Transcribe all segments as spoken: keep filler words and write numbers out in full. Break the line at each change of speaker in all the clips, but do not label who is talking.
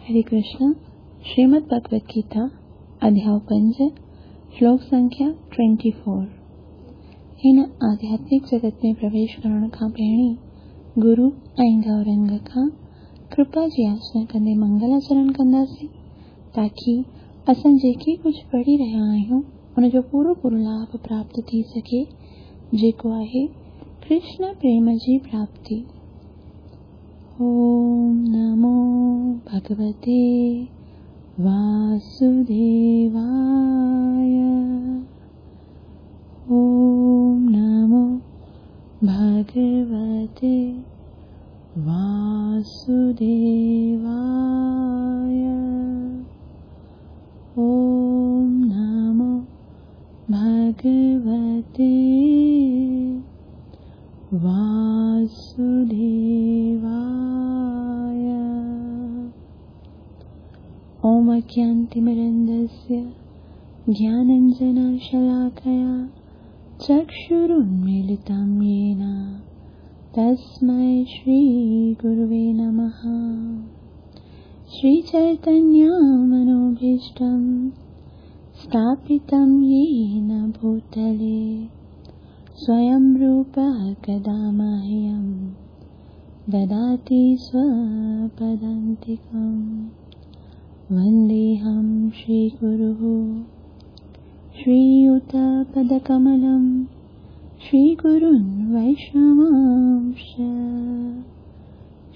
हरे कृष्ण। श्रीमद् भगवत गीता अध्याय पंज, श्लोक संख्या चौबीस। हिन आध्यात्मिक जगत में प्रवेश करण खां पहिरीं गुरु ऐं गौरंग खां कृपा जी याचना कंदे मंगलाचरण कंदासीं, ताकी असां जेके कुझु पढ़ी रहिया आहियूं उनजो पूरो पूरो लाभ प्राप्त थी सघे, जेको आहे कृष्ण प्रेम जी प्राप्ति। ओम नमो भगवते वासुदेवाय। ओम नमो भगवते वासुदेवाय। ओम नमो भगवते वासुदेवाय। ओम अज्ञानतिमिरन्धस्य ज्ञानाञ्जनशलाकया चक्षुरुन्मीलितं येन तस्मै श्रीगुरुवे नमः। श्रीचैतन्यमनोभीष्टं स्थापितं येन भूतले स्वयं रूपः कदा मह्यं ददाति स्वपदान्तिकं। वन्देऽहं श्रीगुरुः श्रीयुतपदकमलं श्रीगुरुन् वैष्णवांश्च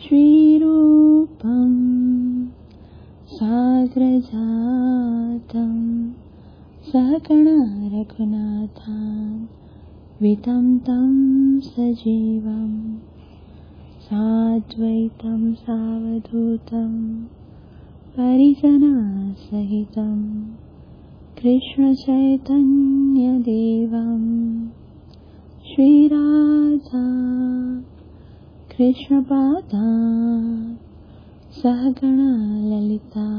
श्रीरूपं साग्रजातं सहगण रघुनाथान् वितं तं सजीवं साद्वैतं सावधूतं परिजनसहितं कृष्णचैतन्यदेवं श्रीराधा कृष्णपादा सहगण ललिता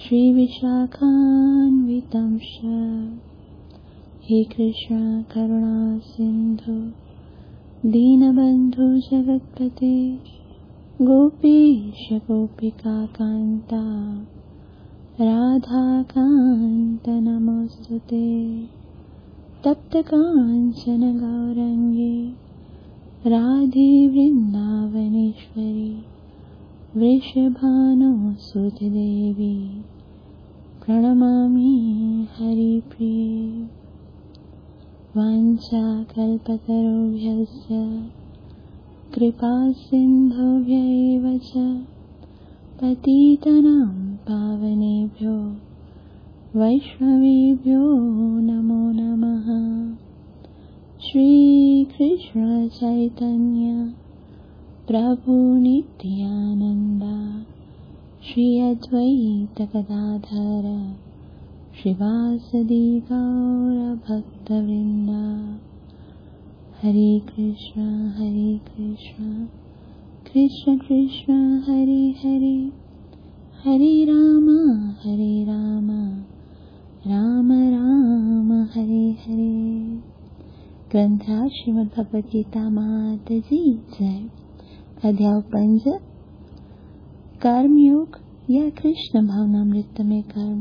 श्रीविशाखान्वितं च। हे कृष्ण करुणा सिन्धु दीनबन्धु जगत्पते गोपीश गोपिकान्ता राधाकान्त नमोऽस्तुते। तप्त काञ्चन गौरङ्गे राधे वृन्दावनेश्वरी वृषभानुसुते देवी प्रणमामि हरिप्रिये। वाञ्छाकल्पतरुभ्यश्च कृपासिन्धुभ्य एव च पतितानां पावनेभ्यो वैष्णवेभ्यो नमो नमः। श्रीकृष्ण चैतन्य प्रभु नित्यानन्द श्री अद्वैत गदाधर श्रीवासदि गौरभक्तवृन्द। हरे कृष्ण हरे कृष्ण कृष्ण कृष्ण हरे हरे, हरे राम हरे राम राम राम हरे हरे। ग्रंथराज श्रीमद् भगवद गीता मात जी जय। अध्याय पंज, कर्मयोग या कृष्ण भावनामृत में कर्म,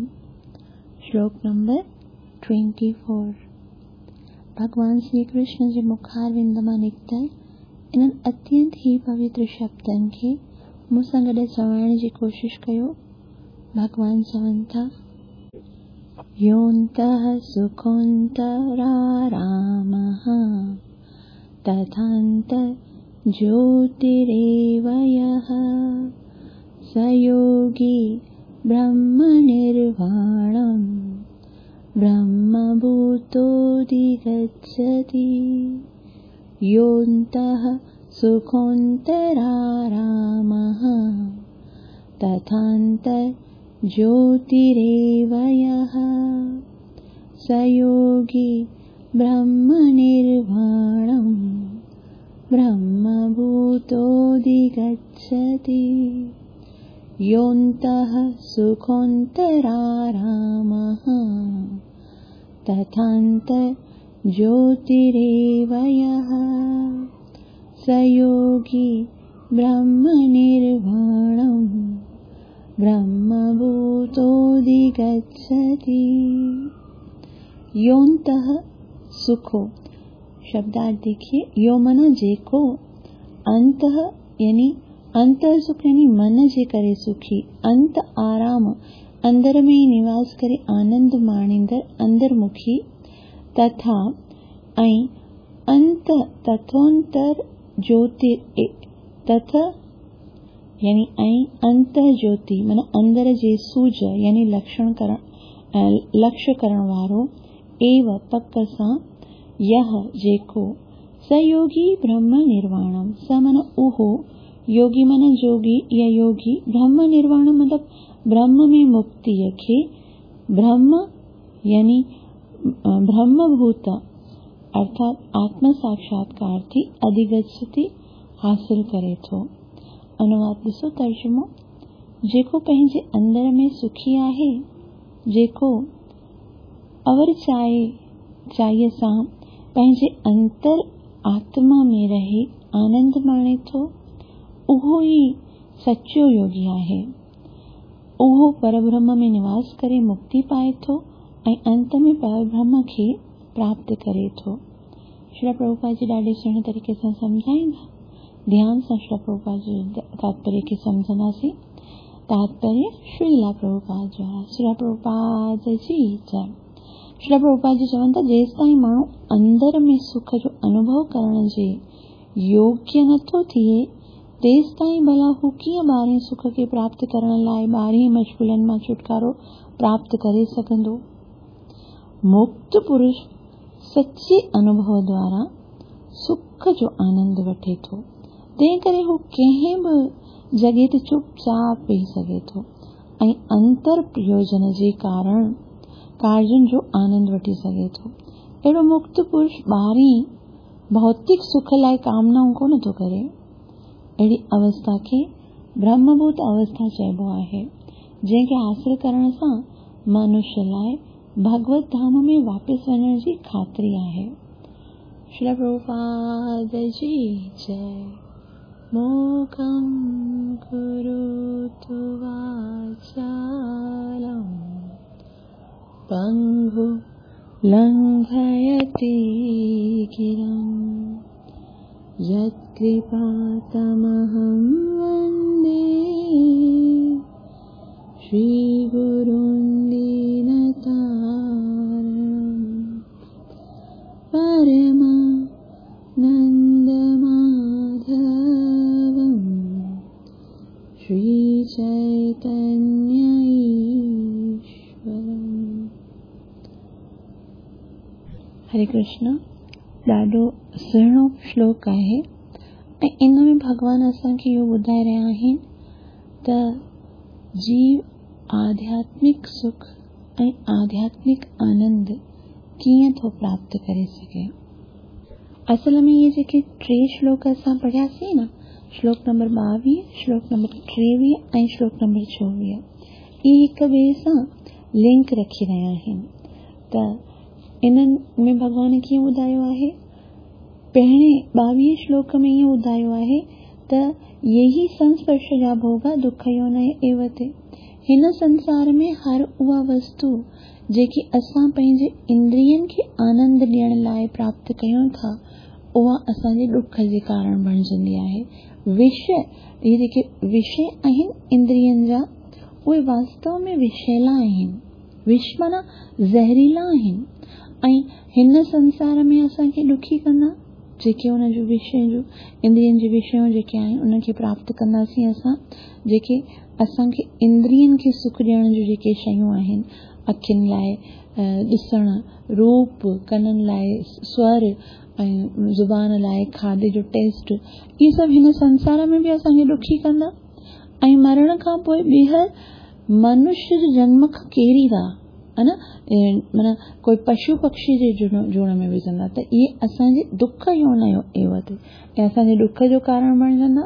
श्लोक नंबर चौबीस। भगवान श्री कृष्ण जे मुखारविंद मां निकितल इन्हनि अत्यंत ही पवित्र शब्दनि खे मूंसां गॾु चवण जी कोशिश कयो। भगवान चवनि था, योऽन्तः सुखोऽन्तरारामः तथान्तर्ज्योतिरेव यः स योगी ब्रह्मनिर्वाणं ब्रह्मभूतोऽधिगच्छति। योऽन्तः सुखोऽन्तरारामः तथान्तर्ज्योतिरेव यः स योगी ब्रह्मनिर्वाणं ब्रह्मभूतोऽधिगच्छति। योऽन्तः सुखोऽन्तरारामः तथान्तर्ज्योतिरेव यः स योगी ब्रह्मनिर्वाणं ब्रह्मभूतोऽधिगच्छति। योऽन्तः सुखो, शब्दार्थ देखिए, यो माना जेको, अंतः यानी अंतः सुख यानी मन जे करे सुखी, अंत आराम अंदर में ई निवास करे आनंद माणींदड़ अंतर्मुखी, तथा ऐं अंत तथोंतर ज्योति तथा यानी ऐं अंत ज्योति माना अंदर जे सूझ यानी लक्षण करण लक्ष्य करण वारो, एव पक सां यह जेको स योगी ब्रह्म निर्वाणम, स माना उहो, योगी माना जोगी या योगी, ब्रह्म निर्वाण मतलब ब्रह्म में मुक्ति खे, ब्रह्म यानी ब्रह्मभूत अर्थात आत्म साक्षात्कार थी अधिगच्छति हासिल करे थो। अनुवाद ॾिसो तर्जुमो, जेको पंहिंजे अंदर में सुखी आहे, जेको अवर चाहे चाहीअ सां पंहिंजे अंतर आत्मा में रहे आनंद माणे थो, उहो ई सचो योगी आहे। उहो परब्रह्म में निवास करे मुक्ति पाए थो ऐं अंत में परब्रह्म खे प्राप्त करे थो। श्री प्रभुपाद जी ॾाढे सुहिणे तरीक़े सां सम्झाईंदा, ध्यान सां श्री प्रभुपाद जी तात्पर्य खे सम्झंदासीं। तात्पर्य श्रीला प्रभुपाद जो आहे। श्री प्रभुपाद जी जय। श्री प्रभुपाद जी चवनि था जेसि ताईं माण्हू अंदर में सुख जो अनुभव करण जे योग्य नथो थिए तेसि ताईं भला हू कीअं ॿाहिरीं सुख खे प्राप्त करण लाइ ॿाहिरीं मशग़ुलनि मां छुटकारो प्राप्त करे सघंदो। मुक्त पुरुष सच्चे अनुभव द्वारा सुख जो आनंद वठे थो, तंहिं करे हू कंहिं बि जॻह ते चुपचाप वेही सघे थो ऐं अंतर प्रयोजन जे कारण कार्युनि जो आनंद वठी सघे थो। अहिड़ो मुक्त पुरुष ॿाहिरीं भौतिक सुख लाइ कामनाऊं कोन थो करे। अहिड़ी अवस्था खे ब्रह्मभूत अवस्था चइबो आहे, जंहिंखे हासिल करण सां मनुष्य लाइ भगवत धाम में वापसि वञण जी ख़ातिरी आहे। श्री प्रभुपाद जी जय। मूकं करोतु वाचालं पंगु लंघयति गिरिं यत्कृपा तमहं वन्दे श्रीगुरुं दीनतारणं परमानन्दमाधवं श्रीचैतन्य ईश्वरम्। हरे कृष्ण। ॾाढो सुहिणो श्लोक आहे ऐं इन में भॻवान असांखे इहो ॿुधाए रहिया आहिनि त जीव आध्यात्मिक सुख ऐं आध्यात्मिक आनंद कीअं थो प्राप्त करे सघे। असल में इहे जेके टे श्लोक असां पढ़ियासीं न, श्लोक नंबर ॿावीह, श्लोक नंबर टेवीह ऐं श्लोक नंबर चोवीह, इहे हिक ॿिए सां लिंक रखी रहिया आहिनि। त इन्हनि में भॻवान कीअं ॿुधायो आहे, पहिरें ॿावीह श्लोक में ईअं ॿुधायो आहे त यही संस्पर्श जा भोगा दुख योनय एव ते। हिन संसार में हर उहा वस्तु जेकी असां पंहिंजे इंद्रियनि खे आनंद ॾियण लाइ प्राप्त कयूं था, उहा असांजे ॾुख जे कारण बणिजंदी आहे। विषय, इहे जेके विषय आहिनि इंद्रियनि जा, उहे वास्तव में विषैला आहिनि। विष माना ज़हरीला आहिनि ऐं हिन संसार में असांखे ॾुखी कंदा। जेके हुन जो विषय जो इंद्रियनि जे विषयूं जेके आहिनि उन्हनि प्राप्त कंदासीं असां, जेके असांखे इंद्रियनि खे सुख ॾियण जूं जेके शयूं आहिनि, अखियुनि लाइ ॾिसण, रूप, कननि लाइ स्वर ऐं ज़ुबान लाइ खाधे जो टेस्ट, इहे सभु हिन संसार में बि असांखे ॾुखी कंदा ऐं मरण खां पोइ ॿीहर मनुष्य जे जन्म खां केरींदा, हा न, माना कोई पशु पक्षी जे जूण में विझंदा, त इहे असांजे दुख योनयो एव ते ऐं असांजे ॾुख जो कारण बणिजंदा।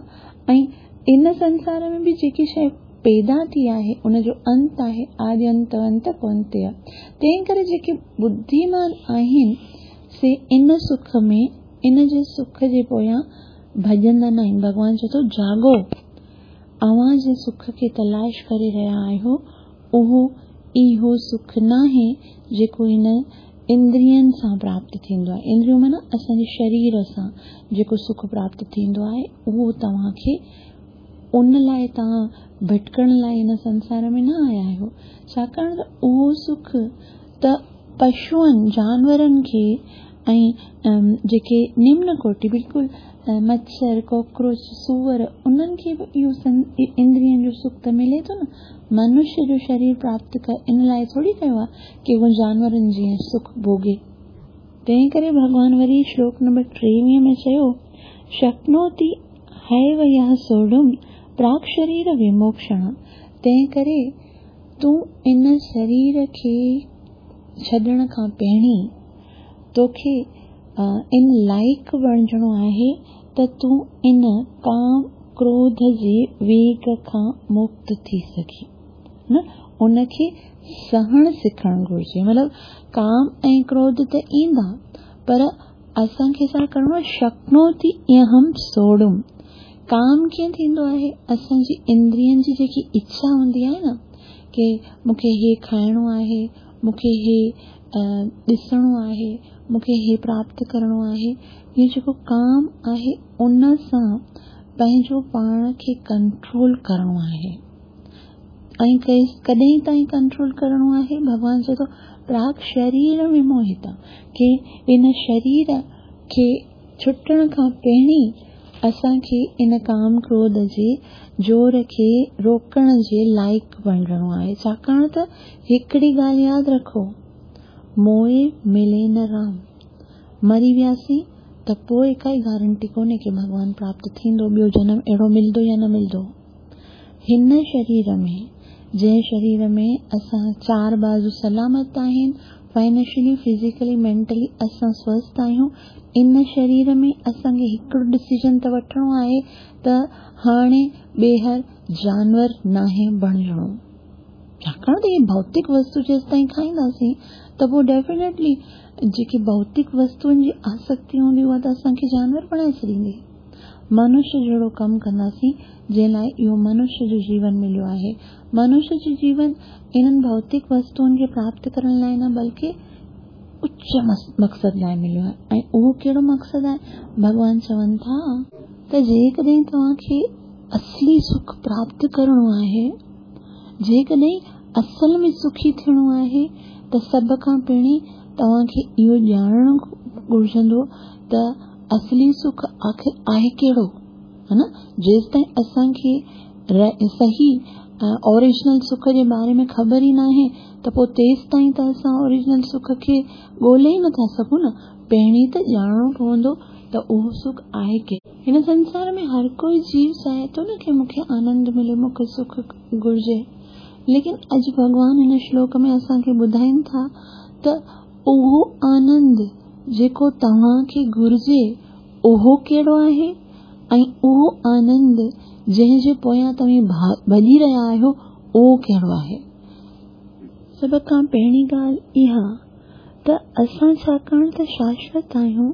ऐं इन संसार में बि जेकी शइ पैदा थी आहे उनजो अंत आहे, आदि अंत अंत कोन ते आहे। तंहिं करे जेके बुद्धिमान आहिनि से इन सुख में, इन जे सुख जे पोयां भॼंदा न आहिनि। भॻवान चए थो जागो, अव्हां जे सुख खे तलाश करे रहिया आहियो उहो इहो सुख नाहे जेको हिन इंद्रियनि सां प्राप्त थींदो आहे। इंद्रियूं माना असांजे शरीर सां जेको सुख प्राप्त थींदो आहे उहो तव्हांखे उन लाइ तव्हां भटकण लाइ हिन संसार में न आया आहियो, छाकाणि त उहो सुख त पशुअनि जानवरनि खे ऐं जेके निम्न कोटि बिल्कुलु मच्छर कॉकरोच सूअर उन्हनि खे बि इहो इंद्रियनि जो सुख त मिले थो न। मनुष्य जो शरीर प्राप्त कर इन लाइ थोरी कयो आहे की उहो जानवरनि जीअं सुख भोगे। तंहिं करे भॻवान वरी श्लोक नंबर टेवीह में चयो, शक्नोति हैव यः सोढुम प्राक् शरीर विमोक्षण। तंहिं करे तूं इन शरीर खे छॾण खां पहिरीं तोखे इन लाइक़ बणिजणो आहे त तूं इन काम क्रोध जे वेग खां मुक्त थी सघी न। उनखे सहण सिखणु घुरिजे, मतिलबु काम ऐं क्रोध त ईंदा पर असांखे छा करिणो आहे, शक्नोति अहम सोड़ुम। काम कीअं थींदो आहे, असांजी इंद्रियनि जी जेकी इच्छा हूंदी आहे न की मूंखे हे खाइणो आहे, मूंखे हे ॾिसणो आहे, मूंखे हे प्राप्त करिणो आहे, इहो जेको काम आहे उन सां पंहिंजो पाण खे कंट्रोल करिणो आहे। ऐं कॾहिं ताईं कंट्रोल करिणो आहे, भॻवान चए थो प्राक् शरीर में मोहित की इन शरीर खे छुटण खां पहिरीं असांखे इन काम क्रोध जे जोर खे रोकण जे लाइक़ बणिजणो आहे। छाकाणि त हिकिड़ी ॻाल्हि यादि रखो, मोए मिले न राम। मरी वियासीं त पोइ काई गारंटी कोन्हे की भॻवान प्राप्त थींदो, ॿियो जनम अहिड़ो मिलंदो या न मिलंदो। हिन शरीर में जंहिं शरीर में असां चार बाज़ू सलामत आहिनि, फाइनेंशियली फिज़िकली मेंटली असां स्वस्थ आहियूं, इन शरीर में असांखे हिकिड़ो डिसीजन त वठिणो आहे त हाणे ॿीहर जानवर नाहे बणिजणो। छाकाणि त इहे भौतिक वस्तु जेसि ताईं खाईंदासीं त पोइ डेफिनेटली जेकी भौतिक वस्तुअनि जी आसक्ति हूंदी उहा त असांखे जानवर बणाए छॾींदी। मनुष्य जहिड़ो कमु कंदासीं जंहिं लाइ इहो मनुष्य जो जीवन मिलियो आहे। मनुष्य जो जीवन इन्हनि भौतिक वस्तुअनि खे प्राप्त करण लाइ न बल्कि उच्च मक़सद लाइ मिलियो आहे। ऐं उहो कहिड़ो मक़सदु आहे, भॻवान चवनि था त जेकॾहिं तव्हांखे असली सुख प्राप्त करिणो आहे, जेकॾहिं असल में सुखी थियणो आहे त सभ खां पहिरीं तव्हांखे इहो ॼाणणु घुर्जंदो त असली सुख आख़िर आहे कहिड़ो, हा न। जेसि ताईं असांखे सही ओरिजिनल सुख जे बारे में ख़बर ई नाहे त पोइ तेसि ताईं त असां ओरिजिनल सुख खे ॻोल्हे ई नथा सघूं न। पहिरीं त ॼाणणो पवंदो त उहो सुख आहे कहिड़ो। हिन संसार में हर कोई जीव चाहे थो न की मूंखे आनंद मिले, मूंखे सुख घुर्जे, लेकिन अॼु भॻवान हिन श्लोक में असांखे ॿुधाइनि था त उहो आनंद जेको तव्हांखे घुर्जे उहो कहिड़ो आहे ऐं उहो आनंद जंहिंजे पोयां तव्हीं भॼी रहिया आहियो उहो कहिड़ो आहे। सभ खां पहिरीं ॻाल्हि इहा त असां छाकाणि त शाश्वत आहियूं,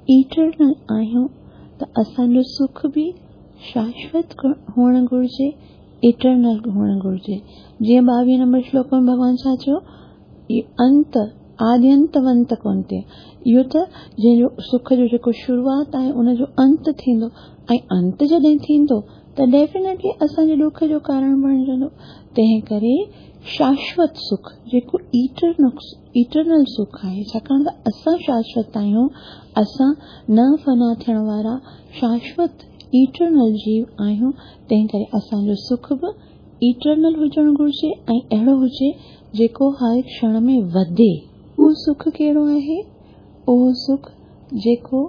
इटरनल आहियूं, त असांजो सुख बि शाश्वत हुअणु घुर्जे, इटरनल हुअणु घुर्जे। जीअं ॿावीह नंबर श्लोक में भॻवान छा चयो, अंत आद्यंतवंत कोन्हे, इहो त जंहिंजो सुख जो जेको शुरूआत आहे उनजो अंत थींदो ऐं अंत जॾहिं थींदो त डेफिनेटली असांजे ॾुख जो कारण बणिजंदो। तंहिं करे शाश्वत सुख जेको इटरनल इटरनल सुख आहे, छाकाणि त असां शाश्वत आहियूं, असां न फना थियण वारा शाश्वत इटरनल जीव आहियूं, तंहिं करे असांजो सुख बि इटरनल हुजणु घुर्जे ऐं अहिड़ो हुजे जेको हर क्षण में वधे। उहो सुख कहिड़ो आहे, उहो सुख जेको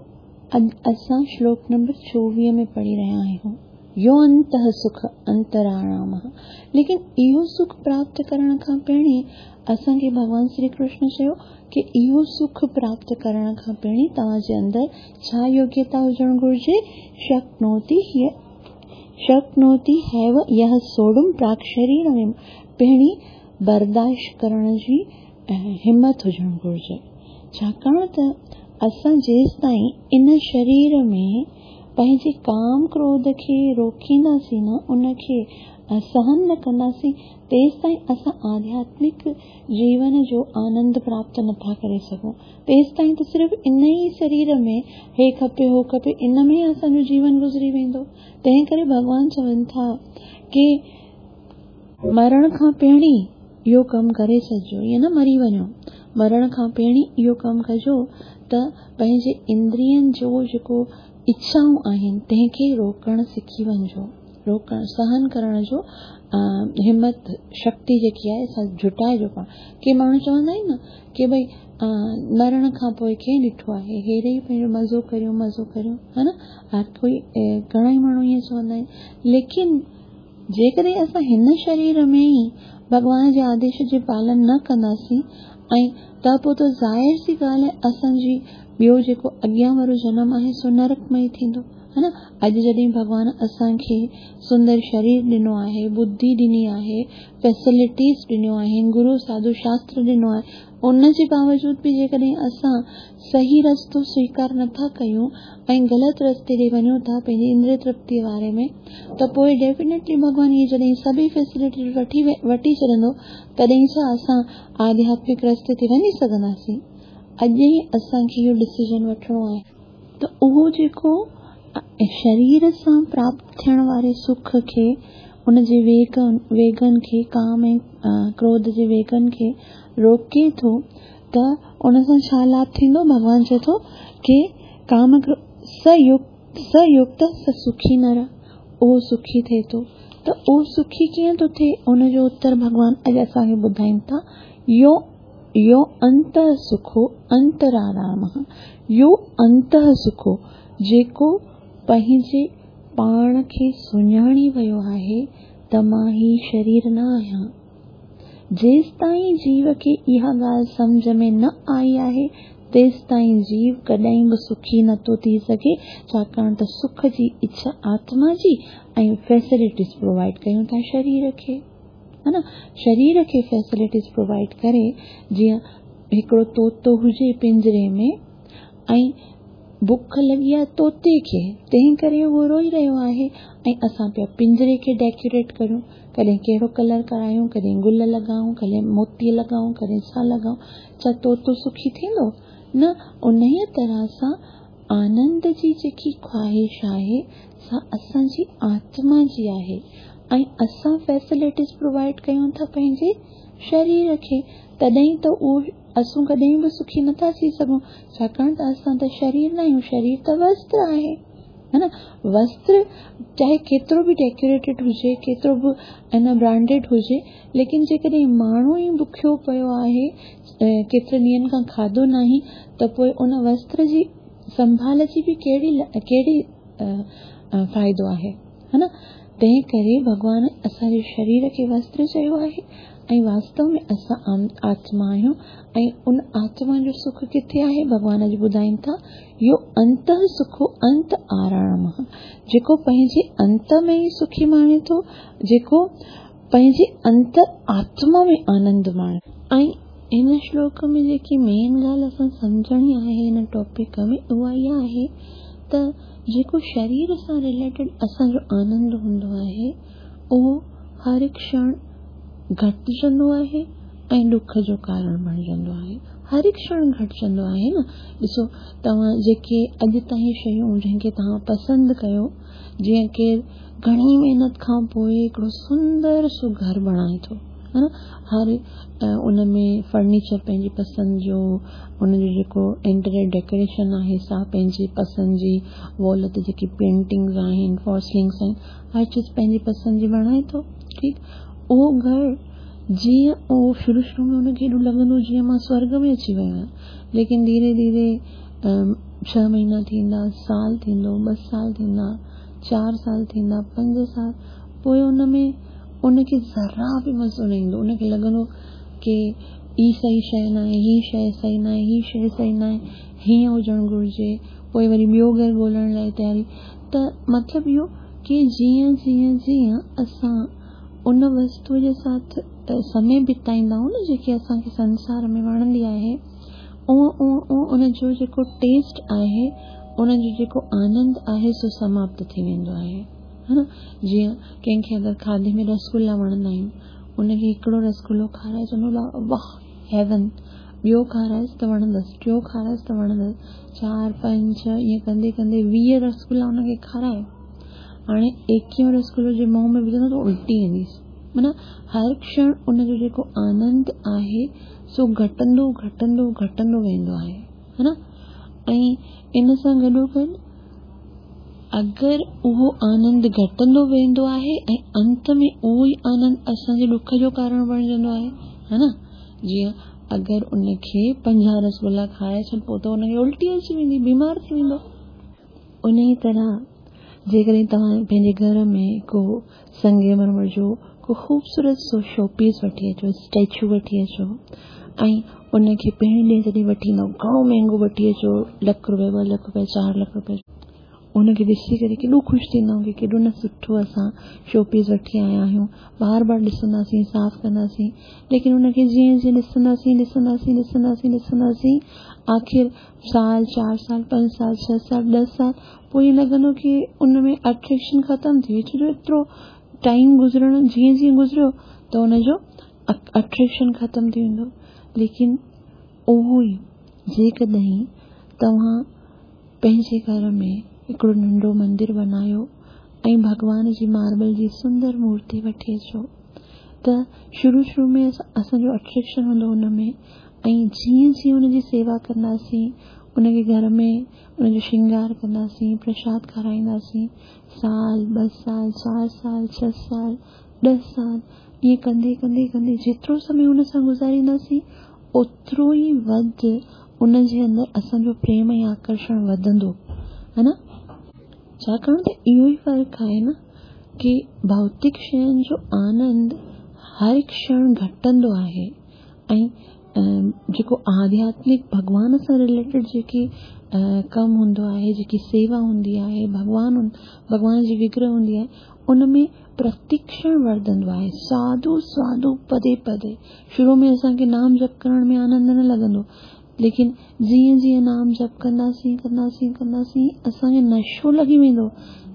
असां श्लोक नंबर चोवीह में पढ़ी रहिया आहियूं, यो अंतः सुख अंतराणाम। लेकिन इहो सुख प्राप्त करण खां पहिरीं असांखे भॻवान श्री कृष्ण चयो की इहो सुख प्राप्त करण खां पहिरीं तव्हांजे अंदरि छा योग्यता हुजणु घुर्जे, शक्नोति शक्नोति have यह सोड़ुम प्राक् शरीर में। पहिरीं बर्दाश्त करण जी हिम्मत हुजणु घुर्जे, छाकाणि त असां जेसि ताईं इन शरीर में पंहिंजे काम क्रोध खे रोकींदासीं न, उनखे सहन न कंदासीं, तेसि ताईं असां आध्यात्मिक जीवन जो आनंद प्राप्त नथा करे सघूं। तेसि ताईं त सिर्फ़ इन ई शरीर में हे खपे हो खपे, इन में असांजो जीवन गुज़री वेंदो। तंहिं करे भॻवान चवनि था की मरण खां पहिरीं इहो कमु करे छॾिजो, ईअं न मरी वञो, मरण खां पहिरीं इहो कमु कजो त पंहिंजे इंद्रियनि जो जेको इच्छाऊं आहिनि तंहिंखे रोकणु सिखी वञिजो। रोकण सहन करण जो हिमत शक्ति जेकी आहे सा जुटाइजो पाण। के माण्हू चवंदा आहिनि न की भई मरण खां पोइ कंहिं ॾिठो आहे, हेड़े ई पंहिंजो मज़ो करियूं मज़ो करियूं, हा न। हर कोई घणा ई माण्हू ईअं चवंदा आहिनि। लेकिन जेकॾहिं असां हिन शरीर में ई भॻवान जे आदेश जे पालन न कंदासीं ऐं त पोइ त ज़ाहिर सी ॻाल्हि आहे असांजी ॿियो जेको अॻियां वारो जनम आहे सो नरक में ई थींदो, हा न। अॼु जॾहिं भॻवान असांखे सुंदर शरीर ॾिनो आहे, बुद्धि ॾिनी आहे, फैसिलिटीज़ ॾिनियूं आहिनि, गुरू साधू शास्त्र ॾिनो आहे, उन जे बावजूद बि जेकॾहिं असां सही रस्तो स्वीकार नथा कयूं ऐं ग़लति रस्ते ते वञूं था पंहिंजी इंद्रिय तृप्तीअ बारे में, त पोइ डेफिनेटली भॻवान इहे जॾहिं सभई फैसिलिटीज़ वठी वठी छॾंदो तॾहिं छा असां आध्यात्मिक रस्ते ते वञी सघंदासीं। अॼु ई असांखे इहो डिसीजन वठिणो आहे त उहो जेको शरीर सां प्राप्त थियण वारे सुख खे, उन जे वेग वेगनि खे, काम ऐं क्रोध जे वेगनि खे रोके थो त उन सां छा लाभ थींदो? भॻवान चए थो की काम सयुक्त सयुक्त स सुखी नर, उहो सुखी थिए थो। त उहो सुखी कीअं थो थिए? उनजो उत्तर भॻवान अॼु असांखे ॿुधाइनि था। यो यो अंत सुखो अंतराराम, यो अंत सुखो जेको पंहिंजे पाण खे सुञाणी वियो आहे त मां ही शरीर न आहियां। जेसि ताईं जीव खे इहा ॻाल्हि सम्झ में न आई आहे तेसि ताईं जीव कॾहिं बि सुखी नथो थी सघे, छाकाणि त सुख जी इच्छा आत्मा जी ऐं फैसिलिटीज़ प्रोवाइड कयूं था शरीर खे, हा न। शरीर खे फैसिलिटीज़ प्रोवाइड करे, जीअं हिकिड़ो तोतो हुजे पिंजरे में ऐं बुख लॻी आहे तोते खे, तंहिं करे उहो रोई रहियो आहे ऐं असां पिया पिंजरे खे डेकोरेट करियूं, कॾहिं कहिड़ो कलर करायूं, कॾहिं गुल लॻाऊं, कॾहिं मोती लॻाऊं, कॾहिं छा लॻाऊं, छा तोतो सुखी थींदो? न। उन तरह सां आनंद जी जेकी ख़्वाहिश आहे सा असांजी आत्मा जी आहे ऐं असां फैसिलिटीज़ प्रोवाइड कयूं था पंहिंजे शरीर खे, तॾहिं त उहो असां कॾहिं बि सुखी नथा थी सघूं, छाकाणि त असां त शरीर न आहियूं, शरीर त वस्त्र आहे, हा न। वस्त्र चाहे केतिरो बि डेकोरेटेड हुजे, केतिरो बि न ब्रांडेड हुजे, लेकिन जेकॾहिं माण्हू ई बुखियो पियो आहे, केतिरे ॾींहंनि खां खाधो न आहे, त पोइ उन वस्त्र जी संभाल जी बि कहिड़ी कहिड़ी फ़ाइदो आहे, हा न। तंहिं करे भॻवान असांजे शरीर खे वस्त्र चयो आहे ऐं वास्तव में असां आत्मा आहियूं ऐं उन आत्मा जो सुख किथे आहे? भॻवान अॼु ॿुधाइनि था, यो अंत सुखो अंत आराम, जेको पंहिंजे अंत में ई सुखी माणे थो, जेको पंहिंजे अंत आत्मा में आनंद माणे। ऐं हिन श्लोक में जेकी मेन ॻाल्हि असां सम्झणी आहे हिन टॉपिक में उहा इहा आहे त जेको शरीर सां रिलेटेड असांजो आनंद हूंदो आहे उहो हर हिकु क्षण घटिजंदो आहे ऐं ॾुख जो कारण बणिजंदो आहे। हर हिकु क्षण घटिजंदो आहे न। ॾिसो तव्हां जेके अॼु ताईं शयूं जंहिंखे तव्हां पसंदि कयो, जीअं केरु घणी महिनत खां पोइ हिकिड़ो सुंदर सो घर बणाए थो, हा न, हर उन में फर्नीचर पंहिंजी पसंदि जो, उनजो जेको इंटीरियर डेकोरेशन आहे सा पंहिंजी पसंदि जी, वॉल ते जेकी पेंटिंग्स आहिनि, फॉर सीलिंग्स आहिनि, हर चीज़ पंहिंजी पसंदि जी बणाए थो, ठीकु। उहो घर जीअं उहो शुरू शुरू में हुनखे एॾो लॻंदो जीअं मां स्वर्ग में अची वियो आहियां, लेकिन धीरे धीरे छह महीना थींदा, साल थींदो, ॿ साल थींदा, चारि साल थींदा, पंज साल, पोइ उन में उनखे ज़रा बि मज़ो न ईंदो। उनखे लॻंदो की ही सही शइ न आहे, ही शइ सही न आहे, ही शइ सही न आहे, हीअं हुजणु घुरिजे, पोइ वरी ॿियो घर ॻोल्हण लाइ तयारी। त मतिलबु इहो की जीअं जीअं जीअं असां उन वस्तूअ जे साथ समय बिताईंदा आहियूं न, जेकी असांखे संसार में वणंदी आहे, उहो उहो उहो उनजो जेको टेस्ट आहे ان جو جيڪو آنند آهي سو سماپت ٿي ويندو آهي، ها نه؟ جيئن ڪنهن کي اگر کاڌي ۾ رسگلا وڻندا آهن، ان کي هڪڙو رسگلو کارائي چوندو واهه هيون، ٻيو کارائيس ته وڻندس، ٽيون کارائيس ته وڻندس، چار پنج ڇهه ائين ڪندي ڪندي ويهه رسگلا ان کي کارائي، هاڻي ايڪويهون رسگلو جي منهن ۾ وجهندو ته الٽي اينديس. معنيٰ هر ڪشڻ ان جو جيڪو آنند آهي سو گهٽندو گهٽندو گهٽندو ويندو آهي، ها نه؟ ۽ ان سان گڏوگڏ اگر اهو آنند گهٽندو ويندو آهي ۽ انت ۾ اهو ئي آنند اسان جي ڏک جو ڪارڻ بڻجندو آهي، ها نه؟ جيئن اگر ان کي پنجاهه رسگلا کارائي ڇڏ پوءِ ته ان کي الٽي اچي ويندي، بيمار ٿي ويندو. ان ئي طرح جيڪڏهن توهان پنهنجي گهر ۾ ڪو سنگ مرمر جو ڪو خوبصورت سو شو پيس وٺي اچو، اسٽيچو وٺي اچو ۽ ان کي پهرين ڏينهن جڏهن وٺي ايندؤ گهڻو مهانگو وٺي اچو، لک رپيا، ٻه لک رپيا، چار لک رپيا، ان کي ڏسي ڪري ڪيڏو خوش ٿيندؤ ڪه ڪيڏو نه سٺو اسان شو پيس وٺي آيا آهيون. بار بار ڏسنداسين، صاف ڪنداسين، ليڪن ان کي جيئن جيئن ڏسنداسين ڏسنداسين ڏسنداسين ڏسنداسين آخر سال، چار سال، پنج سال، ڇهه سال، ڏهه سال پوءِ ائين لڳندو ڪه ان ۾ اٽريڪشن ختم ٿي وئي. ڇو جو ايترو ٽائيم گذرڻ جيئن جيئن گذريو ته ان جو اٽريڪشن ختم ٿي ويندو. ليڪن اهو ئي جيڪڏهن توهان پنهنجي گهر ۾ هڪڙو ننڍو مندر بنايو ۽ ڀڳوان جي ماربل جي سندر مورتي وٺي اچو ته شروع شروع ۾ اسان جو اٽريڪشن هوندو هن ۾ ۽ جيئن جيئن هن جي سيوا ڪنداسين، ان کي گهر ۾ ان جو شرنگار ڪنداسين، پرشاد کارائينداسين، سال، ٻه سال، چار سال، ڇهه سال، ڏهه سال، ائين ڪندي ڪندي ڪندي جيترو سمي هن سان گذارينداسين اوترو ئي وڌ ان جي اندر اسان جو پريم ۽ آڪرشڻ وڌندو، ها نه؟ ڇاڪاڻ ته اهو ئي فرق آهي نه ڪه ڀوتڪ شين جو آنند هر ڪشڻ گهٽندو آهي ۽ جيڪو آڌياتمڪ ڀڳوان سان رليٽيڊ جيڪي ڪم هوندو آهي، جيڪي سيوا هوندي آهي، ڀڳوان ڀڳوان جي وگرهه هوندي آهي، ان ۾ پرتڪشڻ وڌندو آهي. ساڌو ساڌو پدي پدي. شروع ۾ اسان کي نام جپ ڪرڻ ۾ آنند نه لڳندو، ليڪن جيئن جيئن نام جپ ڪنداسين ڪنداسين ڪنداسين اسان کي نشو لڳي ويندو.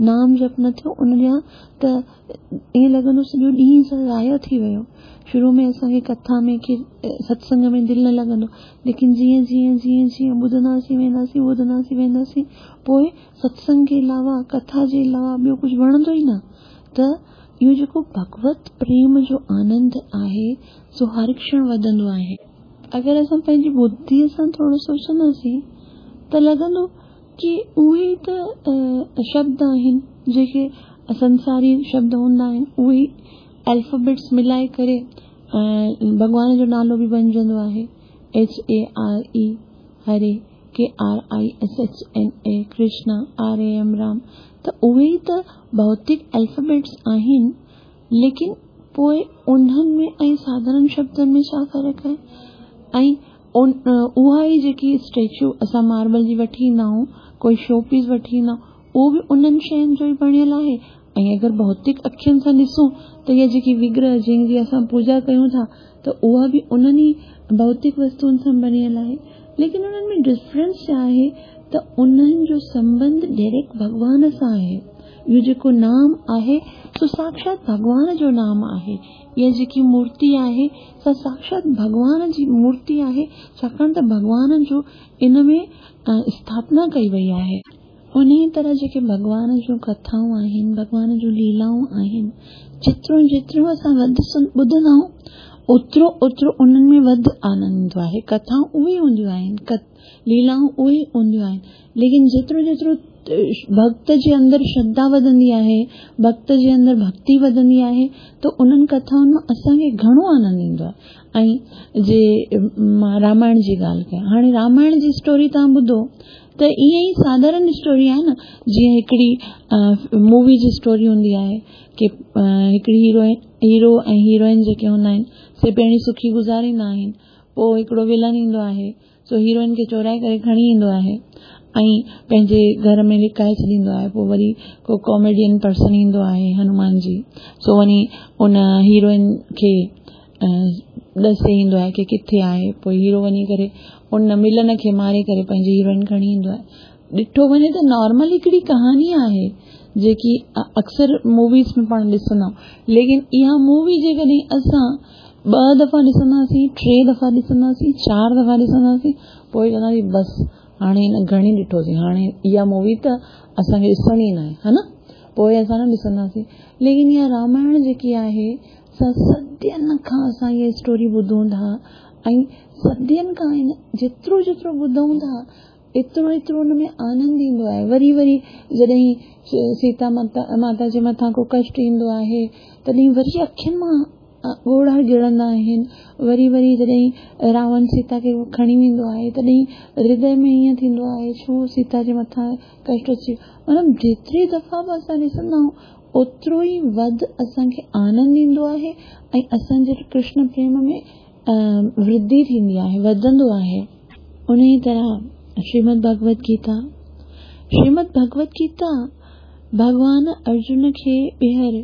نام جپ نه ٿيو ان ڏينهن ته ائين لڳندو سڄو ڏينهن ضايع ٿي ويو. شروع ۾ اسان کي ڪٿا ۾ ڪه ستسنگ ۾ دل نه لڳندو، ليڪن جيئن جيئن جيئن جيئن ٻڌنداسين وينداسين ٻڌنداسين وينداسين پوءِ ستسنگ جي علاوه ڪٿا جي علاوه ٻيو ڪجهه وڻندو ئي نه. ته اهو جيڪو ڀڳوت پريم جو آنند آهي سو هر ڪشڻ وڌندو آهي. اگر اسان پنهنجي ٻڌيءَ سان ٿورو سوچنداسين ته لڳندو ڪه اهي ئي ته شبد آهن جيڪي سنساري شبد هوندا آهن، اهي ئي الفابيٽس ملائي ڪري ڀڳوان جو نالو به بڻجندو آهي. H A R A Hari, K R I S H N A Krishna, R A M Ram. ته اهي ئي ته ڀوتڪ الفابيٽس آهن، ليڪن پوءِ انهن ۾ ۽ ساڌارڻ شبدن ۾ ڇا فرق آهي؟ ۽ اها ئي جيڪي اسٽيچو اسان ماربل جي وٺي ايندا آهيون، ڪوئي شو پيس وٺي ايندا آهيون، اهو به انهن شين جو ئي بڻيل آهي. ۽ اگر ڀوتڪ اکين سان ڏسون ته اها جيڪي وگرهه جنهن جي اسان پوڄا ڪيون ٿا ته اها به انهن ئي ڀوتڪ وستن سان بڻيل آهي. ليڪن انهن ۾ ڊفرنس ڇا آهي ته انهن جو سنٻنڌ ڊائريڪٽ ڀڳوان سان آهي. اهو جيڪو نام آهي سو ساڪشات ڀڳوان جو نام آهي. اها جيڪي مورتي آهي سا ساڪشات ڀڳوان جي مورتي آهي، ڇاڪاڻ ته ڀڳوان جو ان ۾ اسٿاپنا ڪئي وئي آهي. ان ئي طرح جيڪي ڀڳوان جون ڪٿائون آهن، ڀڳوان جون ليلائون آهن، جيترو جيترو اسان وڌ ٻڌندا آهيون اوترو اوترو انهن ۾ وڌ آنند ايندو آهي. ڪٿائون اهي هونديون آهن، ليلائون اهي هونديون آهن، ليڪن جيترو جيترو ڀڪت جي اندر شرڌا وڌندي آهي، ڀڪت جي اندر ڀڪتي وڌندي آهي، ته انهن ڪٿائن مان اسان کي گهڻو آنند ايندو آهي. ۽ جي مان رامائڻ جي ڳالهه ڪيان، هاڻي رامائڻ جي اسٽوري توهان ٻڌو ته ائين ئي ساڌارڻ اسٽوري آهي نه، جيئن هڪڙي مووي جي اسٽوري هوندي آهي ڪه هڪڙي هيروئن، هيرو ۽ هيروئن جيڪي هوندا آهن سي پهرين سکي گذاريندا آهن، پوءِ هڪڙو ولن ايندو آهي سو هيروئن کي چورائي ڪري کڻي ايندو آهي ۽ پنهنجي گهر ۾ لڪائي ڇڏيندو آهي. پوءِ وري ڪو ڪاميڊين پرسن ايندو آهي هنومان جي، سو وڃي ان هيروئن کي ڏسي ايندو آهي ڪه ڪٿي آهي. پوءِ هيرو وڃي ڪري ان ملن کي ماري ڪري پنهنجي هيروئن کڻي ايندو آهي. ॾिठो वञे त नॉर्मल हिकिड़ी कहानी आहे जेकी अक्सर मूवीज़ में पाण ॾिसंदा आहियूं, लेकिन इहा मूवी जेकॾहिं असां ॿ दफ़ा ॾिसंदासीं, टे दफ़ा ॾिसंदासीं, चारि दफ़ा ॾिसंदासीं, पोइ चवंदासीं बसि हाणे हिन घणी ॾिठोसीं, हाणे इहा मूवी त असांखे ॾिसणी न आहे, हा न, पोइ असां न ॾिसंदासीं। लेकिन इहा रामायण जेकी आहे सा सदियुनि खां असां इहा स्टोरी ॿुधूं था ऐं सदियुनि खां हिन जेतिरो जेतिरो ॿुधूं था एतिरो एतिरो हुन में आनंद ईंदो आहे। वरी वरी जॾहिं सीता माता माता जे मथां को कष्ट ईंदो आहे तॾहिं वरी अखियुनि मां ॻोढ़ा गिरंदा आहिनि। वरी वरी जॾहिं रावण सीता खे खणी वेंदो आहे तॾहिं हृदय में ईअं थींदो आहे छो सीता जे मथां कष्ट अची वियो। मतिलबु जेतिरी दफ़ा बि असां ॾिसंदा आहियूं ओतिरो ई वधि असांखे आनंद ईंदो आहे ऐं असांजे कृष्ण प्रेम में वृद्धि थींदी आहे, वधंदो आहे। उन ई तरह श्रीमद् भगवत गीता, श्रीमद् भगवत गीता भॻवान अर्जुन खे ॿीहर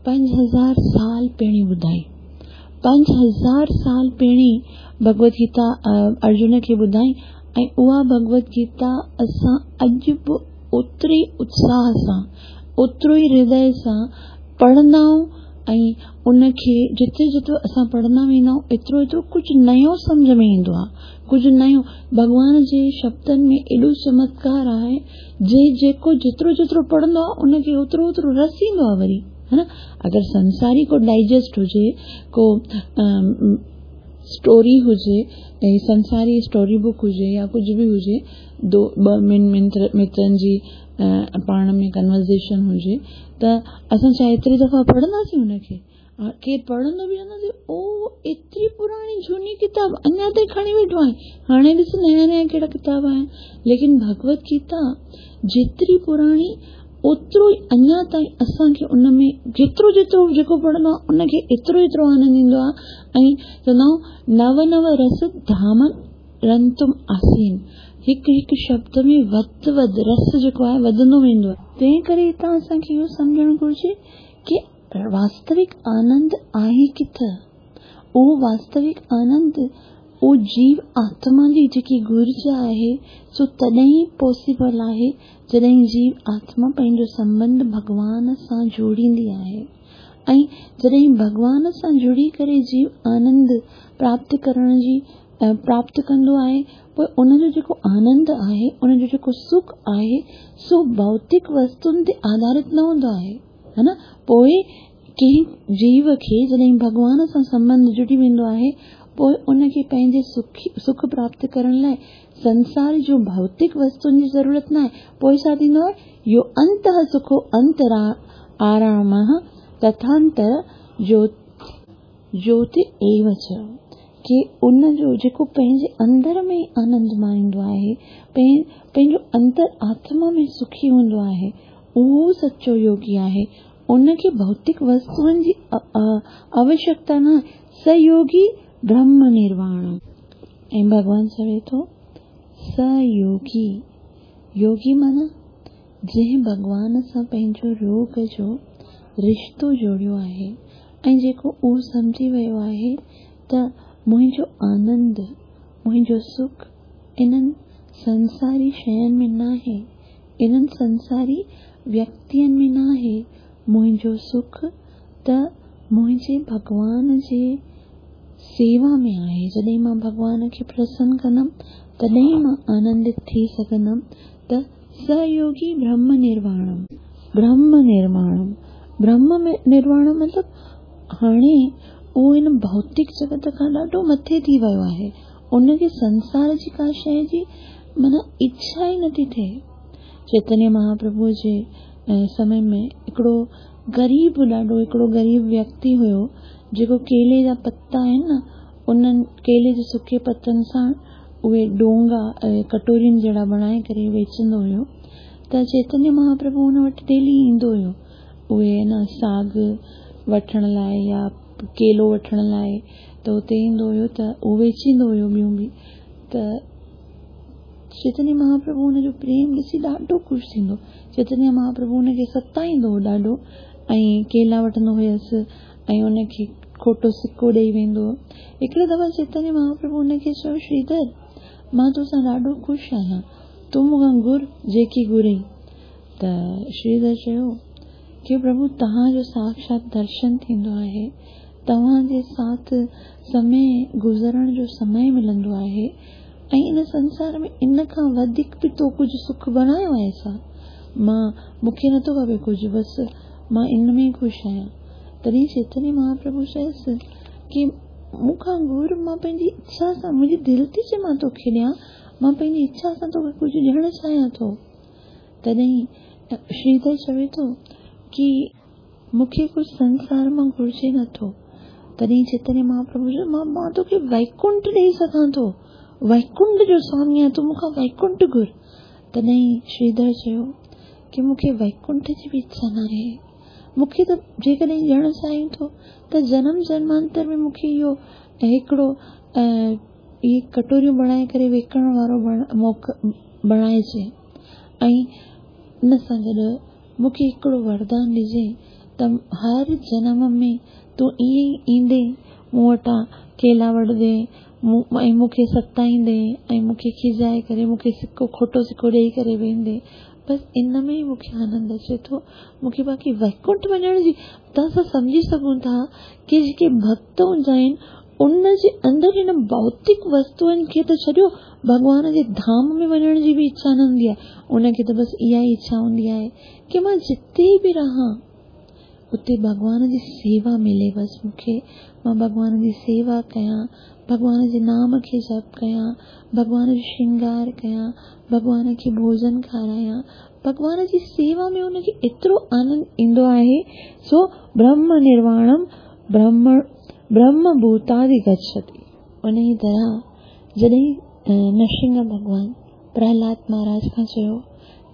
पंज हज़ार साल पहिरीं ॿुधाई। पंज हज़ार साल पहिरीं भगवत गीता अर्जुन खे ॿुधाई ऐं उहा भगवत गीता असां अॼु बि ओतिरे उत्साह सां, ओतिरो ई हृदय सां पढ़ंदा आहियूं ऐं उनखे जिते जेतिरो असां पढ़ंदा वेंदा आहियूं एतिरो एतिरो कुझु नयो सम्झ में ईंदो आहे, कुझु नयो। भॻवान जे शब्दनि में एॾो चमत्कार आहे जे जेको जेतिरो जेतिरो पढ़ंदो आहे उनखे ओतिरो ओतिरो रस ईंदो आहे वरी, है न। अगरि संसारी को डाइजेस्ट हुजे, को स्टोरी हुजे, ऐं संसारी स्टोरी बुक हुजे या कुझु बि हुजे, दो ॿ ॿिनि मित्रनि जी पाण में कन्वर्सेशन हुजे त असां छा एतिरी दफ़ा पढ़ंदासीं हुनखे? केरु पढ़ंदो बि चवंदासीं ओ एतिरी पुराणी जूनी किताब अञा ताईं खणी वेठो आहे, हाणे ॾिस नया नया कहिड़ा किताब आहिनि। लेकिन भगवत गीता जेतिरी पुराणी ओतिरो ई अञा ताईं असांखे उन में जेतिरो जेतिरो जेको पढ़ंदो आहे उनखे एतिरो एतिरो आनंद ईंदो आहे। ऐं चवंदा आहियूं नव नव रस धाम रंतुम आसीन, हिकु हिकु शब्द में वधि वधि रस जेको आहे वधंदो वेंदो आहे। तंहिं करे हितां असांखे इहो सम्झणु घुरिजे की वास्तविक आनंद आहे किथं। उहो वास्तविक आनंद उहो जीव आत्मा जी जेकी घुर्ज आहे सो तॾहिं ई पॉसिबल आहे जॾहिं जीव आत्मा पंहिंजो संबंध भॻवान सां जोड़ींदी आहे ऐं जॾहिं भॻवान सां जुड़ी करे जीव आनंद प्राप्त करण जी प्राप्त कंदो आहे, पोइ उनजो जेको आनंद आहे, उनजो जेको सुख आहे सो भौतिक वस्तुनि ते आधारित न हूंदो आहे, हा न। पोइ कंहिं जीव खे जॾहिं भॻवान सां संबंध जुड़ी वेंदो आहे पोइ उनखे पंहिंजे सुख सुख प्राप्त करण लाइ संसार जो भौतिक वस्तुनि जी ज़रूरत न आहे। पोइ छा थींदो आहे, यो अंतः सुखो अंतरा आरामः तथांतर जो ज्योति एव च, की उनजो जेको पंहिंजे अंदर में आनंद माणींदो आहे, पंहिंजो अंतर आत्मा में सुखी हूंदो आहे, उहो सचो योगी आहे। उनखे भौतिक वस्तुनि जी आवश्यकता न आहे। स योगी ब्रह्म निर्वाण। ऐं भॻवान चवे थो स योगी, योगी माना जंहिं भॻवान सां पंहिंजो रोग जो रिश्तो जोड़ियो आहे ऐं जेको उहो सम्झी वियो आहे त मुंहिंजो आनंद, मुंहिंजो सुख इन्हनि संसारी शयुनि में न आहे, इन्हनि संसारी व्यक्तियुनि में न आहे। मुंहिंजो सुख त मुंहिंजे भॻवान जे सेवा में आहे। जॾहिं मां भॻवान खे प्रसन्न कंदमि तॾहिं मां आनंदित थी सघंदमि। त सयोगी ब्रह्म निर्वाणम, ब्रह्म निर्वाणम, ब्रह्म निर्वाण मतिलबु हाणे उहो हिन भौतिक जगत खां ॾाढो मथे थी वियो आहे। उनखे संसार जी का शइ जी माना इच्छा ई नथी थिए। चैतन्य महाप्रभु जे समय में हिकिड़ो ग़रीब, ॾाढो हिकिड़ो ग़रीब व्यक्ति हुयो जेको केले जा पता आहिनि न, उन्हनि केले जे सुके पतनि सां उहे डोंगा कटोरियुनि जहिड़ा बणाए करे वेचंदो हुयो। त चैतन्य महाप्रभु हुन वटि डेली ईंदो हुयो, उहे न साग वठण लाइ या केलो वठण लाइ त हुते ईंदो हुयो त उहो वेचींदो हुयो ॿियूं बि। त चैतन्य महाप्रभु हुनजो प्रेम ॾिसी ॾाढो ख़ुशि थींदो। चैतन्य महाप्रभु हुनखे सताईंदो हो ॾाढो ऐं केला वठंदो हुयसि ऐं हुनखे खोटो सिको ॾेई वेंदो हो। हिकिड़े दफ़ा चैतन्य महाप्रभु हुनखे चयो, श्रीधर, मां तोसां ॾाढो ख़ुशि आहियां, तूं मूंखां घुर जेकी घुरई। त श्रीधर चयो की प्रभु तव्हांजो साक्षात दर्शन थींदो आहे, तव्हांजे साथ समय गुज़रण जो समय मिलंदो आहे ऐं इन संसार में इन खां वधीक बि तो कुझु सुख बणायो आहे छा? मां मूंखे नथो खपे कुझु, बसि मां इन में ख़ुशि आहियां। तॾहिं चैतन्य महाप्रभु चयसि की मूंखां घुर, मां पंहिंजी इच्छा सां, मुंहिंजी दिलि थी चए मां तोखे ॾियां, मां पंहिंजी इच्छा सां तोखे कुझु ॾियणु चाहियां थो। तॾहिं श्रीधर चवे थो की मूंखे कुझु संसार मां घुर्जे नथो। तॾहिं चैतन्य महाप्रभु चयो मां मां तोखे वैकुंठ ॾेई सघां थो, वैकुंठ जो स्वामी आहियां, तूं मूंखां वैकुंठ घुर। तॾहिं श्रीधर चयो की मूंखे वैकुंठ जी बि इच्छा न आहे, मूंखे त जेकॾहिं ॾियणु चाहियूं थो त जनम जन्मांतर में मूंखे इहो हिकिड़ो इहे कटोरियूं बणाए करे विकणण वारो मौक़ो बणाइजे ऐं इन सां गॾु मूंखे हिकिड़ो वरदान ॾिजे त हर जनम में तूं ईअं ई ईंदे मूं वटां केला वठंदे ऐं मूंखे सताईंदे ऐं मूंखे खिजाए करे मूंखे सिको खोटो सिको ॾेई करे वेंदे, बसि इन में ई मूंखे आनंद अचे थो। मूंखे बाक़ी वैकुंठ वञण जी त असां सम्झी सघूं था की जेके भक्त हूंदा आहिनि उनजे अंदरि हिन भौतिक वस्तुअनि खे त छॾियो, भॻवान जे धाम में वञण जी बि इच्छा न हूंदी आहे। उनखे त बसि इहा ई इच्छा हूंदी आहे की मां जिते बि रहां उते भॻवान जी सेवा मिले, बसि मूंखे मां भॻवान जी सेवा कयां, भॻवान जे नाम खे जप कयां, भॻवान जो श्रृंगार कयां, भॻवान खे भोजन खारायां। भॻवान जी सेवा में उनखे एतिरो आनंद ईंदो आहे। सो ब्रह्म निर्वाणम ब्रह्म ब्रह्मभूतादि गच्छति। उन ई तरह जॾहिं नरसिंह भॻवान प्रहलाद महाराज खां चयो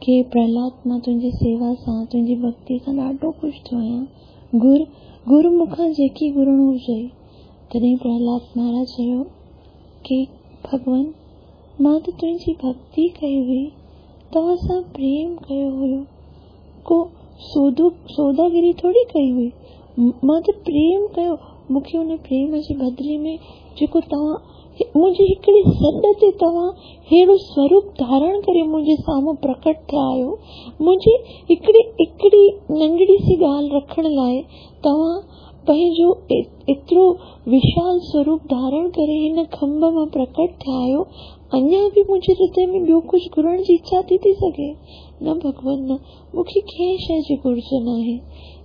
की प्रहलाद मां तुंहिंजी सेवा सां तुंहिंजी भक्ति खां ॾाढो ख़ुशि थियो आहियां, घुर घुर मूंखां जेकी घुरणो हुजे। तॾहिं प्रहलाद महाराज चयो की भॻवान मां त तुंहिंजी भक्ति कई हुई, तव्हां सां प्रेम कयो हुयो, को सौदो सौदागिरी थोरी कई हुई, मां त प्रेम कयो, मूंखे उन प्रेम जे बदिले में जेको तव्हां मुंहिंजी हिकिड़ी सॾ ते तव्हां अहिड़ो स्वरूप धारण करे मुंहिंजे साम्हूं प्रकट थिया आहियो, मुंहिंजी हिकिड़ी हिकिड़ी नंढड़ी सी ॻाल्हि रखण लाइ तव्हां पंहिंजो एतिरो विशाल स्वरूप धारण करे हिन खंभ मां प्रकट थिया आहियो, अञा बि मुंहिंजे हृदय में ॿियो कुझु घुरण जी इच्छा थी थी सघे? न भॻवान न, मूंखे कंहिं शइ जी घुर्ज न आहे।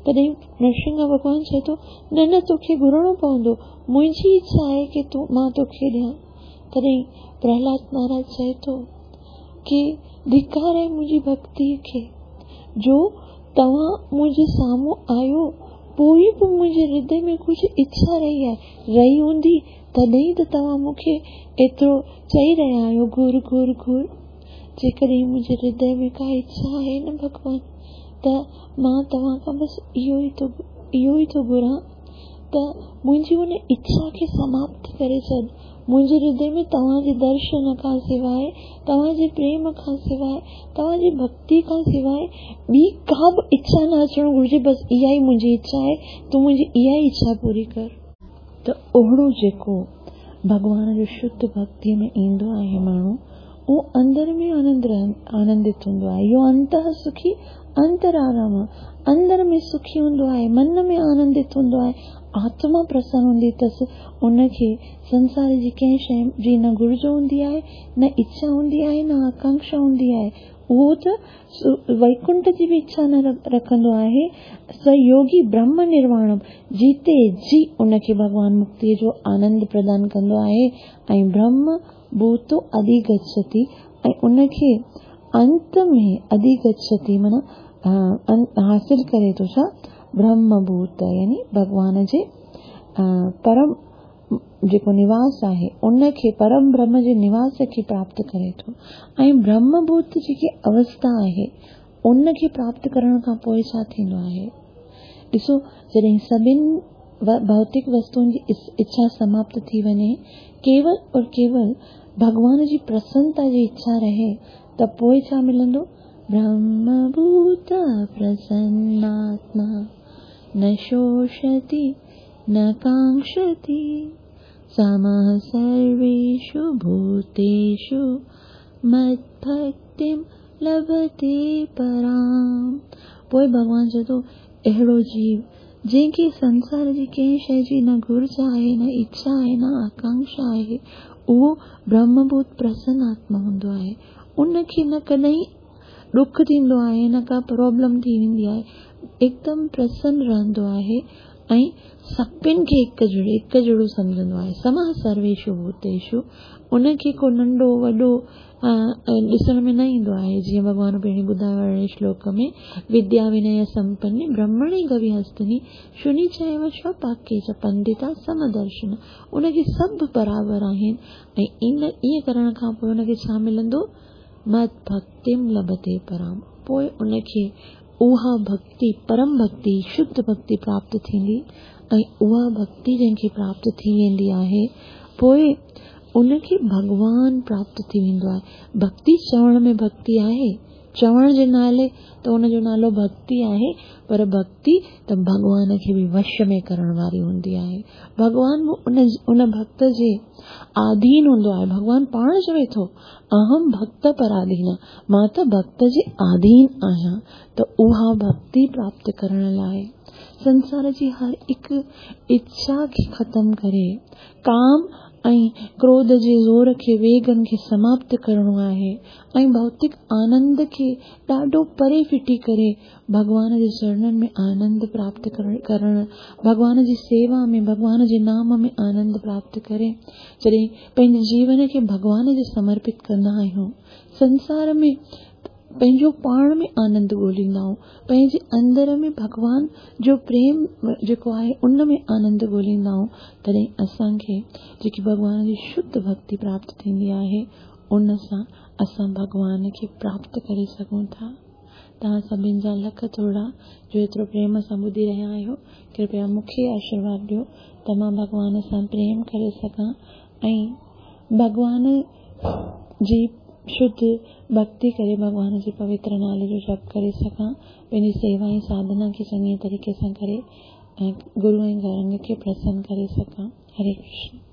तॾहिं नरसिंह भॻवान चए थो न न तोखे घुरणो पवंदो, मुंहिंजी इच्छा आहे की तूं मां तोखे ॾियां। तॾहिं प्रहलाद महाराज चए थो की धिकार आहे मुंहिंजी भक्ति खे, जो तव्हां मुंहिंजे साम्हूं आयो पोइ बि मुंहिंजे हृदय में कुझु इच्छा रही आहे, रही हूंदी तॾहिं त तव्हां मूंखे एतिरो चई रहिया आहियो घुर घुर घुर। जेकॾहिं मुंहिंजे हृदय में का इच्छा आहे न भॻवान, त मां तव्हां खां बसि इहो ई थो इहो ई थो घुरां त मुंहिंजी उन इच्छा खे समाप्त करे छॾ। मुंहिंजे हृदय में तव्हांजे दर्शन खां सवाइ, तव्हांजे प्रेम खां सवाइ, तव्हांजी भक्ति खां सवाइ ॿी का बि इच्छा न अचणु घुरिजे, बसि इहा ई मुंहिंजी इच्छा आहे, तूं मुंहिंजी इहा ई इच्छा पूरी कर। त अहिड़ो जेको भॻवान जो शुद्ध भक्तीअ में ईंदो आहे माण्हू, उहो अंदरि में आनंद आनंदित हूंदो आहे। इहो अंतः सुखी अंतराराम, अंदर में सुखी हूंदो आहे, मन में आनंदित हूंदो आहे, आत्मा प्रसन्न हूंदी अथसि, उनखे संसार जी कंहिं शइ जी न घुर्ज हूंदी आहे, न इच्छा हूंदी आहे, न आकांक्षा हूंदी आहे। उहो त वैकुंठ जी बि इच्छा न रखंदो आहे। स योगी ब्रह्म निर्वाणम, जीते जी उनखे भॻवान मुक्तीअ जो आनंद प्रदान कंदो आहे। ऐं ब्रह्म भूतो अधिगच्छति, ऐं उनखे अंत में अधिगच्छति माना हासिल करे थो छा ब्रह्मभूत, यानी भॻवान जे परम जेको निवास आहे उनखे, परम ब्रह्म जे निवास खे प्राप्त करे थो। ऐं ब्रह्मभूत जेकी अवस्था आहे उनखे प्राप्त करण खां पोइ छा थींदो आहे? ॾिसो, जॾहिं सभिनि भौतिक वस्तुअनि जी इच्छा समाप्त थी वञे, केवल और केवल भॻवान जी प्रसन्नता जी इच्छा रहे, त पोइ छा मिलंदो? ब्रह्मभूत प्रसन्नात्मा न शोषति न कांक्षति, समः सर्वेषु भूतेषु मद्भक्तः भक्तिं लभते पराम्। पोइ भॻवान चए थो, अहिड़ो जीव जंहिंखे संसार जी कंहिं शइ जी न घुर्ज आहे, न इच्छा आहे, न आकांक्षा आहे, उहो ब्रह्मभूत प्रसन्न आत्मा हूंदो आहे। उनखे न कॾहिं ॾुख थींदो आहे, न का प्रॉब्लम थी वेंदी आहे, एकदम प्रसन्न रहंदो आहे ऐं सभिनि खे हिकु जहिड़ो हिकु जहिड़ो सम्झंदो आहे। समः सर्वेषु भूतेषु, उनखे को नंढो वॾो ॾिसण में न ईंदो आहे। जीअं भॻवान पहिरीं ॿुधायो अरिड़हें श्लोक में, विद्या विनय संपन्ने ब्रह्मणे गवि हस्तिनी शुनि चैव स्वपाके च पंडिता समदर्शन। उनखे सभु बराबरि आहिनि ऐं इन ईअं करण खां पोइ उनखे छा मिलंदो? मत भक्तिम लभते पराम। पोइ उनखे उहा भक्ति, परम भक्ति, शुद्ध भक्ति प्राप्त थींदी ऐं उहा भक्ति जंहिंखे प्राप्त थी वेंदी आहे, पोइ उनखे भॻवान प्राप्त थी वेंदो आहे। भक्ति चवण में भक्ति आहे, चवण जे नाले त उनजो नालो भक्ति आहे, पर भक्ति त भॻवान खे बि वश में करण वारी हूंदी आहे। भॻवान बि उन उन भक्त जे आधीन हूंदो आहे। भॻवान पाण चवे थो, अहम भक्त पराधीन, मां त भक्त जे आधीन आहियां। त उहा भक्ति प्राप्त करण लाइ संसार जी हर हिकु इच्छा खे ख़तमु करे, काम ऐं क्रोध जे ज़ोर खे, वेगनि खे समाप्त करिणो आहे ऐं भौतिक आनंद खे ॾाढो परे फिटी करे भॻवान जे चरणनि में आनंद प्राप्त करण, भॻवान जी सेवा में, भॻवान जे नाम में आनंद प्राप्त करे। जॾहिं पंहिंजे जीवन खे भॻवान जे समर्पित कंदा आहियूं, संसार में पंहिंजो पाण में आनंद ॻोल्हींदा आहियूं, पंहिंजे अंदर में भॻवान जो प्रेम जेको आहे उन में आनंद ॻोल्हींदा आहियूं, तॾहिं असांखे जेकी भॻवान जी शुद्ध भक्ति प्राप्त थींदी आहे, उन सां असां भॻवान खे प्राप्त करे सघूं था। तव्हां सभिनि जा लख थोरा जो एतिरो प्रेम सां ॿुधी रहिया आहियो। कृपया मूंखे आशीर्वाद ॾियो त मां भॻवान सां प्रेम करे सघां ऐं भॻवान जी शुद्ध भक्ति करे भॻवान जे पवित्र नाले जो जप करे सघां, पंहिंजी सेवा ऐं साधना खे चङे तरीक़े सां करे ऐं गुरू ऐं गौरंग खे प्रसन्न करे सघां। हरे कृष्ण।